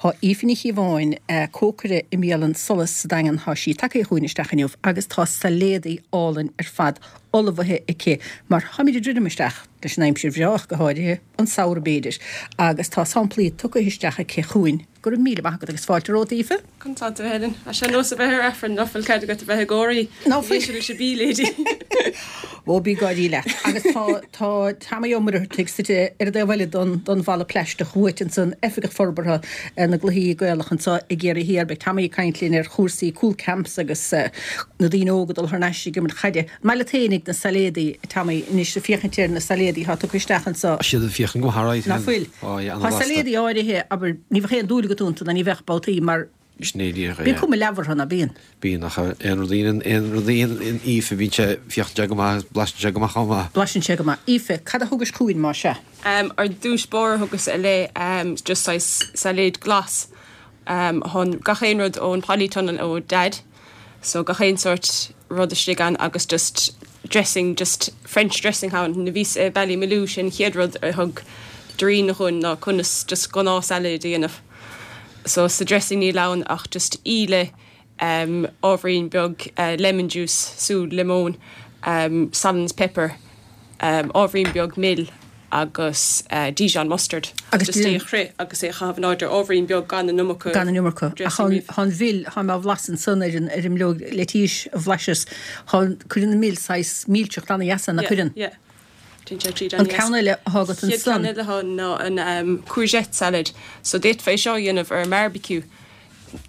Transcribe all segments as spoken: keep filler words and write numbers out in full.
Tá Aoife Ní Chíobháin cócaire i mbialann Solas sa Daingean tá sí tagtha chugainn isteach inniu agus tá sailéadaí álainn ar fad ullmhaithe aici mar táimid ag druidim isteach leis an aimsir bhreá go háirithe an samhradh b'fhéidir agus tá samplaí tugtha isteach aici chugainn go raibh míle maith agat agus fáilte romhat Aoife? Contá Helen A sé nós a bheith ar Aifreann nach bhfuil cead agat a bheith ag gáirí Ná fuil. leis an bia lady. Ó bí gáirí leat agus tá tá Tommy Ó Muircheartaigh suite ar an dtaobh eile don don bhalla plaisteach uait ansan oifigeach forbartha na gcluichí Gaelach anseo i gCiarraí Thiar beidh Tommy ag caint linn ar chúrsaí cúl camps agus uh, na daoine óga dul thar n-ais ag imirt chaide. Maile féinig na sailéadaí Tommy anois féachaint ar na sailéadaí tá tugtha isteach anseo. Siad féachann go háirithe. Ná fuil. Tá sailéadaí áirithe aber ní bheadh aon dúil agat iontu ná ní bheadh babhtaí mar Snéidir Bíonn cuma leamhar ná bíonn. Bíonn ach aon rud aon rud in Aoife bíonn sé féachann sé go maith blaiseann sé go maith chomh maith. Blaiseann sé go maith. Aoife, cad a thugais chugainn mar seo? Um, ar dtús báire thugas i le um, just saghas sailéad glas um, chun gach aon rud ón polytunnel ó Dad, so gach aon sort rud istigh ann agus just dressing just French dressing ann na bhís uh, Ballymaloe sin chéad rud a thug Doreen chun ná conas just gnáth salad a dhéanamh. So sa dressing níl ann ach just íle um, ábhairín beag uh, lemon juice, sú lemon, um, salt and pepper, um, ábhairín beag mil agus uh, Dijon mustard. Agus just é chri agus é chaitheamh in airde ábhairín beag gan an iomarca. Gan an iomarca. dressing riamh. Tá mil tá má bhlasann san ar an ar an mbileog leitís a bhlaiseas cuireann an mil saghas milseacht an-dheas na Yeah, cuireann. yeah. Téann sé tríd An ceann eile atá agat Chéad ansan. ceann eile atá ná an um, courgette salad. So d'fhéadfá seo a dhéanamh ar barbecue.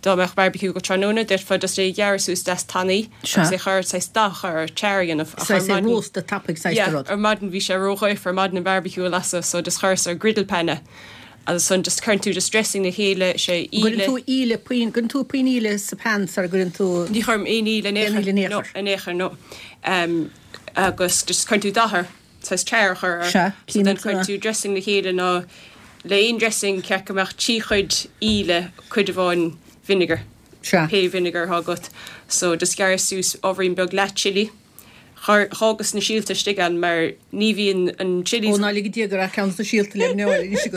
Dá mbeadh barbecue go tráthnóna, d'fhéadfá just é ghearradh suas deas tanaí Sea. agus é chur saghas dath ar char a dhéanamh. Ach ar Saghas é maidin- rósta tapaidh saghas Yeah, de rud. ar maidin bhí sé róghaofar ar maidin an barbecue a lasadh, so just chuireas ar griddle pan é. Agus san just cuireann tú just dressing na chéile sé Gcuireann íle. tú íle puinn gcuireann tú puinn íle sa pan sar gcuireann tú Ní chuirim aon íle in Aon íle in aon No, chor. in aon chor, no. Um, agus just cuireann tú dath air saghas char chur air. Sea, So then címid cuireann tú dressing na chéile ná le aon dressing ceart go mbeadh trí chuid íle cuid amháin vinegar. Sea. Pé vinegar atá agat. So just gearr suas ábhairín beag leath chili. Chuireas na síolta istigh ann mar ní bhíonn an chilies Ó ná lig dé gur a ceann na síolta le neáil agat.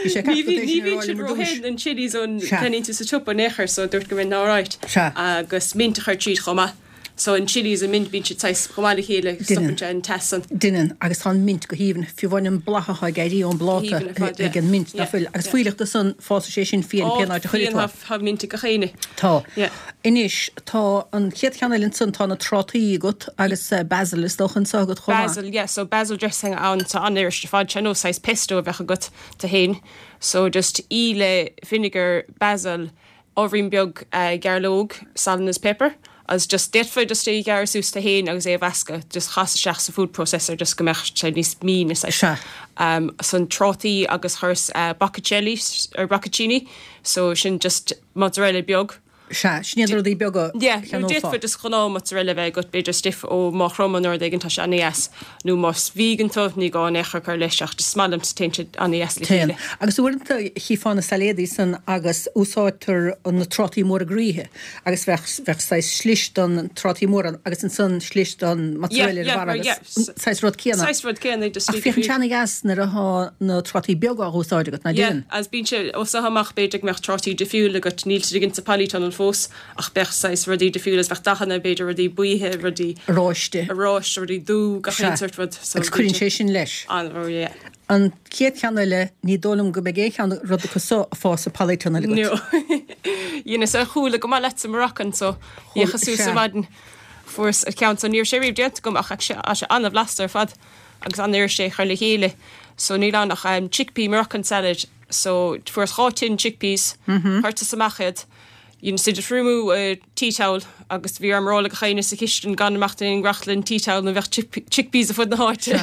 Bhí sé Ní bhí- ní bhíonn siad róthe an chilies ón Sea. ceannaíonn tú sa siopa in aon chor, so dúirt go mbeinn alright. Sea. Agus mint a chur tríd chomh maith. So an chilies an mint bíonn siad saghas chomh maith le chéile Déanann. stopann sé an teas an. Déanann agus tá an mint go haoibhinn fiú amháin an bláth ag éirí ón bpláta Go haoibhinn ar fad, yeah. ag an mint Yeah, ná fuil agus yeah. fuíollach san fásann sé sin fiáin pé áit a chuireann tú. Tá mint go chéine. Tá. Yeah. Anois tá an chéad cheann eile ansan tá na trátaí agat agus eh, basil is dócha anseo agat chomh maith. Basil, yeah, so basil dressing ann tá an-fhuirist ar fad sé nó saghas pesto a bheith agat te héin. So just íle vinegar, basil, ábhairín beag uh, gairleog, salt and pepper. Agus just d'fhéadfá just é ghearradh suas te héin agus é a mheascadh, just chas isteach sa food processor just go mbeadh sé níos míne Sea. Um, san trátaí agus chuireas uh, boccocelli ar bocconcini, so sin just mozzarella beag. Sea, sin iad rudaí beaga Yeah, nó cheannófá. d'fhéadfá just gnáth mozzarella bheith agat b'fhéidir stiff ó Maigh Chromtha nó rud éigin tá sé an-deas nó más vegan tú ní gá é chur leis ach just maith liom téann sé an-deas le Téann. chéile. Agus uaireanta chífeá na sailéadaí san agus úsáidtear na trátaí móra groíthe agus bheadh bheadh saghas slis don trátaí mór agus ansan slis don mozzarella Yeah, yeah, ar mar- yeah. saghas rud céanna. Saghas rud céanna just Ach féachann sé an-deas nuair atá na trátaí beaga á úsáid agat ná Yeah, déan. as bíonn sé ó sa amach b'fhéidir go mbeadh trátaí difriúil agat níl siad ag sa polytunnel fós ach bheadh saghas rudaí difriúil bheadh dathanna b'fhéidir rudaí buíthe rudaí Oráiste. oráiste rudaí dubh gach Sea. aon sort rud. So Agus cuireann sé sin leis. An oh, yeah. An chéad cheann eile ní dóigh liom go mbeidh aon cheann rud acu seo ag fás sa polytunnel agat. No. Dhéana sa chuala go maith leat sa Moroccan so dhécha suas sea. sa maidin fuaireas an ceann so níor sé riamh déanta agam ach sé sé an-bhlasta ar fad agus an-fhuirist é chur le chéile. So níl ann ach um, chickpea Moroccan salad so fuaireas dhá tin chickpeas mm -hmm. chuir amach iad. Dhein siad thriomú uh, tea towel agus bhí orm rá le gach éinne sa chistin gan imeacht in grachlann tea towel na bheadh chickpeas ar fud na háite.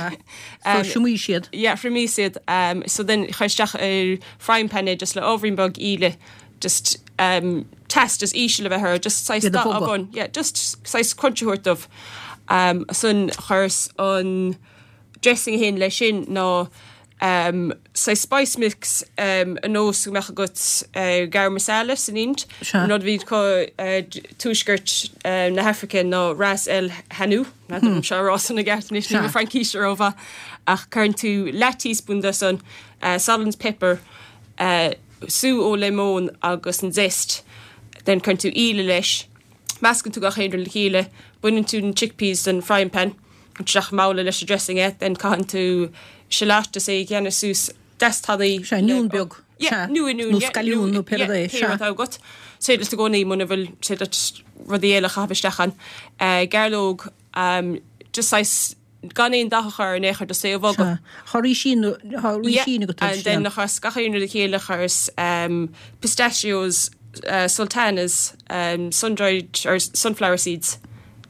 So thriomaigh siad. Yeah, thriomaigh siad. Um, so then chuir isteach ar frying pan é just le ábhairín beag íle just um, teas just íseal a bheith air, just saghas Iad a dath bhogadh. bun. Yeah, just saghas crunch a thabhairt dóibh. Um, san chuireas an dressing hin leis sin ná um, saghas spice mix um, an nós go mbeadh agat uh, garam masala san Ind. Sea. An rud a bhí acu uh, tuaisceart uh, na hAfraice ná ras el hanout hmm. seo rá na gceart anois Sea. ní Fraincis rómhaith ach cuireann tú leath teaspoon de san uh, salt and pepper uh, sú ó lemon agus an zest, then cuireann tú íle leis, meascann tú gach aon rud le chéile, baineann tú an chickpeas den frying pan, isteach i mbabhla leis an dressing é, then caitheann tú shallot is é a dhéanamh suas deas tanaí. Sea, oinniún beag. Yeah, nó oinniún. Nó scalliún nó pé rud é. Pé rud atá agat. Is féidir leat i gcónaí muna bhfuil is féidir leat rudaí eile a chaitheamh isteach ann. Gairleog, just saghas gan aon dath a chur in aon chor just é a bhogadh. Sea. Tá rísín, tá rísín agat Yeah, and then chuireas gach aon rud le chéile chuireas pistachios, sultanas, um, sun-dried or sunflower seeds.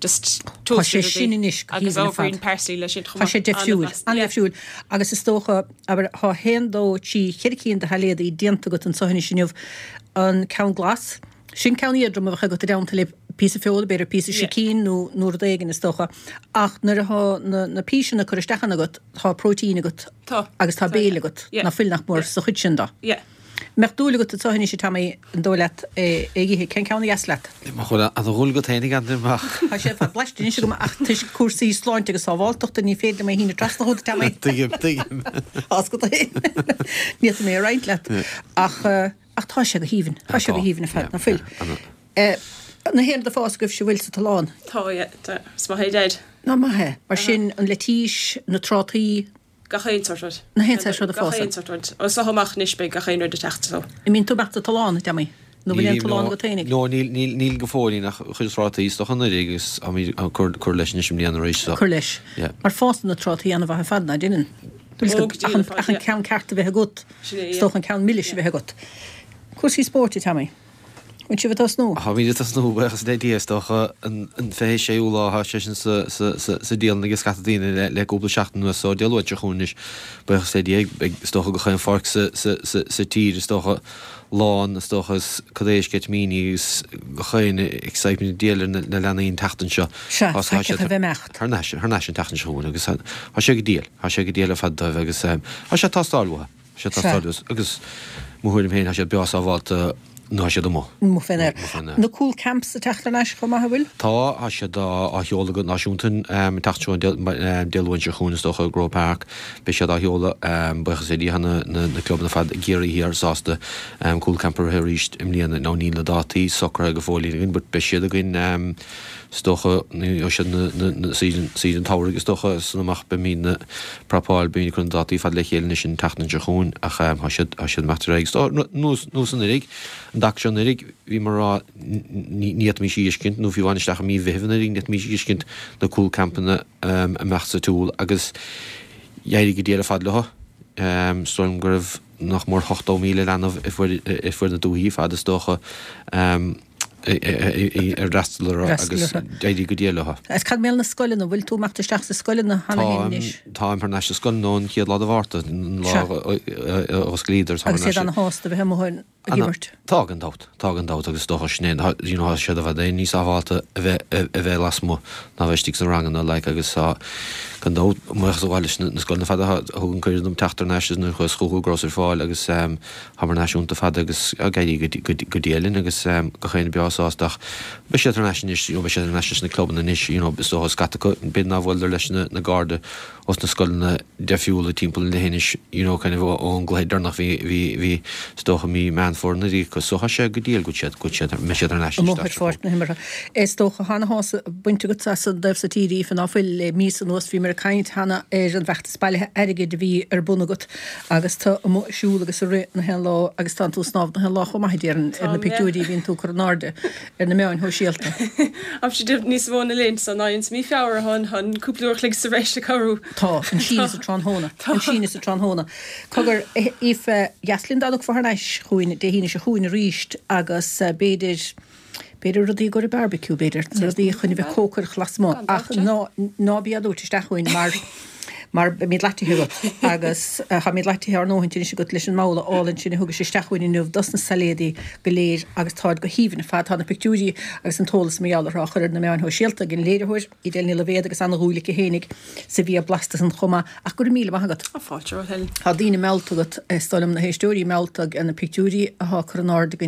Just Tá sé sin anois go agus haoibhinn ar fad. ábhairín parsley leis sin chomh Tá sé maith. deifriúil, An-bhlasta. an-deifriúil. Agus is dócha, abair, tá haon, dó, trí, ceithre cinn de shailéadaí déanta agat anseo anois inniu. An ceann glas, sin ceann éadrom a bheadh agat i dteannta le píosa feola, b'fhéidir píosa Yeah. sicín nó nó rud éigin is dócha. Ach nuair atá na, na píseanna curtha isteach ann agat, tá próitéin agat Tá. agus tá Tá, béile yeah. agat, Yeah. ná fuil nach mór sa chuid sin de. Yeah. Mbeadh dúil agat anseo anois a Tommy an dóigh leat é a ithe, cén ceann a dheas leat? Má chuir an dhúil agat féinig an amach. Tá sé fad blaiste anois agam ach toisc cúrsaí sláinte agus sábháilteachta ní féidir liom é a shíneadh trasna chugat a Tommy. Tuigim, tuigim. As go é. Ní fhéadfaidh mé a roinnt leat. Ach ach tá sé go haoibhinn, tá sé go haoibhinn ar fad, ná fuil. Na haon rud ag fás agaibhse an bhfuil sa tollán? Tá, yeah, tá. Is maith é Deaid. Ná maith é. Mar sin an leitís, na trátaí. Gach aon sórt rud. Na haon sórt rud ag Gach fás. aon sórt rud. Ó seo amach anois beidh gach aon rud ag teacht so. An mbíonn tú amach sa tollán, a Tommy? Nó bhfuil aon tollán agat féinig? No, níl, níl, níl go fóillín ach chuid trátaí is dócha anuraidh agus táimid ag cur, cur leis anois i mbliana arís so. Cur leis. Yeah. Mar fásann na trátaí an-mhaith ar fad, ná déanann? Ó, go dtí Ach an, le fad, ach an yeah. ceann ceart a bheith agat. Sin é, Is yeah. dócha an ceann milis a bheith agat. Cúrsaí spóirt, a Tommy? Bhfuil sibh ag tosnú? Táimid ag tosnú, buíochas le Dia, is dócha an fiche séú lá, tá sé sin sa dialann ag scata daoine le le cúpla seachtain anuas, so Dé Luain seo chugainn anois, buíochas le Dia, beidh is dócha gach aon pháirc sa tír, is dócha lán, is dócha is cad é sceitimíní agus gach aon excitement ag díol ar na leanaí an tseachtain seo. Sea, Tá tá siad a bheith imeacht. Thar n-ais, thar n-ais an tseachtain seo chugainn agus tá sé go diail, tá sé go diail ar fad dóibh agus tá sé ag teastáil uathu, tá sé ag teastáil uathu agus mo thuairim féin tá siad beo sábháilte ná siad amuigh. Amuigh fén aer. Amuigh fén aer. Na Cúl Camps ag teacht thar n-ais chomh maith, an bhfuil? Tá, tá siad á sheoladh go náisiúnta an tseachtain seo Dé Luain seo chugainn is dócha i gCroke Park. Beidh siad á sheoladh, buíochas le Dia na na clubanna ar fad i gCiarraí Thiar sásta Cúl Camp a rith arís i mbliana. Now níl na dátaí socraithe go fóillín againn but beidh siad againn is dócha nó siad na na na season season tsamhraidh is dócha san amach beimid ag prapáil beimid ag cur na dátaí fad le chéile anois an tseachtain seo chugainn ach tá siad tá siad imeacht ar aghaidh. So nós nós anuraidh an dtaca seo anuraidh bhíomar ag rá ní fhéadfaimis a fheiscint nó fiú amháin isteach i mí Mheithimh anuraidh ní fhéadfaimis a fheiscint na cúl campanna amach sa tsiúl agus d'éirigh go diail ar fad leo. Is dóigh liom go raibh nach mór ochtó míle leanbh i fuair na dúichí fad is dócha ar fhreastal orthu agus d'éirigh go diail leo. Is cad mar gheall na scoileanna, bhfuil tú imeacht isteach sa scoileanna cheana féin anois? Táim thar n-ais sa scoil ón chéad lá de Mhárta, an lá a osclaíodar. Agus iad ana-shásta a bheith amuigh ag imirt? Tá gan dabht, tá gan dabht agus is dócha sin é, you know, tá siad i bhfad níos sábháilte a bheith a bheith lasmuigh ná a bheith istigh sna ranganna like agus tá gan dabht buíochas a ghabháil leis na scoileanna fada a thug an cuireadh dom teacht thar n-ais is nuair a chuas chucu go rabhas ar fáil agus táim thar n-ais iontu fada agus ag éirí go diail linn agus gach éinne breá sásta ach beidh siad thar n-ais anois, you know, beidh siad thar n-ais leis na clubanna anois, you know, is dócha scata acu, b'fhéidir nár bhuaileadar leis na Gardaí os na scoileanna deifriúla timpeall an leithinis, you know, kind of ón gcluiche deireanach bhí, bhí, bhí, is dócha mí Meán Fómhair anuraidh acu. So tá sé go diail go bhfuil siad, go bhfuil siad, mbeidh siad thar n-ais Amuigh ar pháirc na himeartha. Is dócha tá ana-shásamh bainte agat as an dtaobh so tíre, Aoife, ná fuil le míosa anuas bhíomar ag caint cheana ar an bhfeachtas bailithe airgid a bhí ar bun agat agus tú amuigh ag siúl agus ag rith na haon lá agus tánn tú ag snámh na haon lá chomh maith a déarfainn ar na Táim, yeah. pictiúirí a bhíonn tú ag cur in airde ar na meáin shóisialta. Tá níos mó na linn san ná ins mí Feabhra chun chun cúpla uair a chloig sa bhreis a cabhrú. Tá, an síneadh sa tráthnóna, an síneadh sa tráthnóna. Cogar, Aoife, dheas linn dá dtiocfá thar n-ais chugainn Dé hAoine seo chugainn arís agus b'fhéidir, b'fhéidir rudaí i gcomhair barbecue, b'fhéidir, rudaí chun a bheith cócaireacht lasmuigh, ach ná, ná bí á dtabhairt isteach chugainn mar, mar beimid leataithe agat agus táimid leataithe ár ndóthaint anois agat leis an mbabhla álainn sin a thugais isteach chugainn inniu dos na sailéadaí go léir agus táid go haoibhinn ar fad. Tá na pictiúirí agus an t-eolas mar gheall orthu á chur ar na meáin shóisialta ag an léiritheoir, Edel Ní Loibhéad agus ana-dhúil aici fhéinig sa bhia blasta san chomh maith. Ach go raibh míle maith agat. Tá fáilte romhat, Helen. Tá daoine meallta agat, is dóigh liom na héisteoirí meallta ag na pictiúirí atá curtha in airde againn.